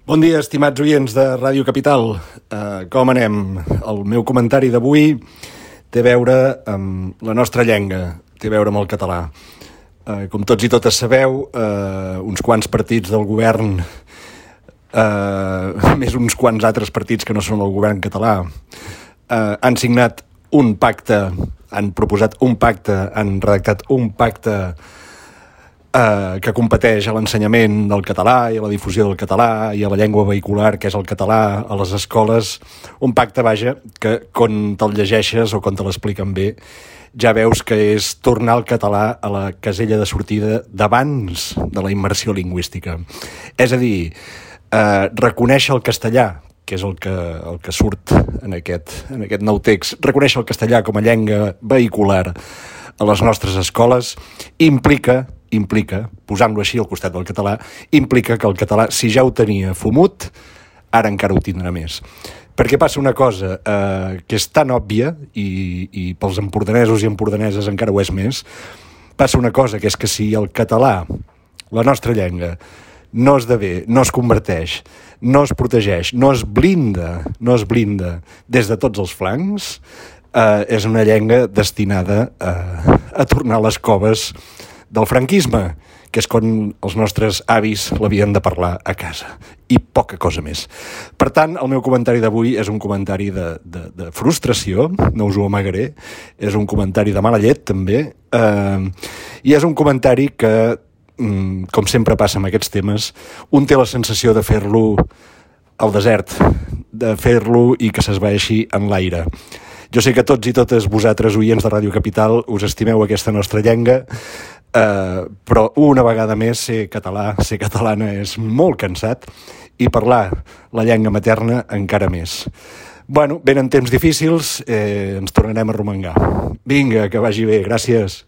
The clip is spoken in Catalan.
Bon dia, estimats oients de Ràdio Capital. Com anem? El meu comentari d'avui té a veure amb la nostra llengua, té a veure amb el català. Com tots i totes sabeu, uns quants partits del govern, més uns quants altres partits que no són el govern català, han signat un pacte, han proposat un pacte, han redactat un pacte que competeix a l'ensenyament del català i a la difusió del català i a la llengua vehicular, que és el català, a les escoles. Un pacte, vaja, que quan te'l llegeixes o quan te l'expliquen bé, ja veus que és tornar el català a la casella de sortida d'abans de la immersió lingüística. És a dir, reconèixer el castellà, que és el que surt en aquest nou text, reconèixer el castellà com a llengua vehicular a les nostres escoles implica, posant-lo així al costat del català, implica que el català, si ja ho tenia fumut, ara encara ho tindrà més. Perquè passa una cosa que és tan òbvia, i pels empordanesos i empordaneses encara ho és més, passa una cosa, que és que si el català, la nostra llengua, no esdevé, no es converteix, no es protegeix, no es blinda des de tots els flancs, és una llengua destinada a tornar a les coves del franquisme, que és quan els nostres avis l'havien de parlar a casa, i poca cosa més. Per tant, el meu comentari d'avui és un comentari de frustració, no us ho amagaré, és un comentari de mala llet, també, i és un comentari que, com sempre passa amb aquests temes, un té la sensació de fer-lo al desert, de fer-lo i que s'esvaeixi en l'aire. Jo sé que tots i totes vosaltres, oients de Ràdio Capital, us estimeu aquesta nostra llengua, però una vegada més ser català, ser catalana és molt cansat, i parlar la llengua materna encara més. Bueno, venen temps difícils, ens tornarem a romangar. Vinga, que vagi bé, gràcies.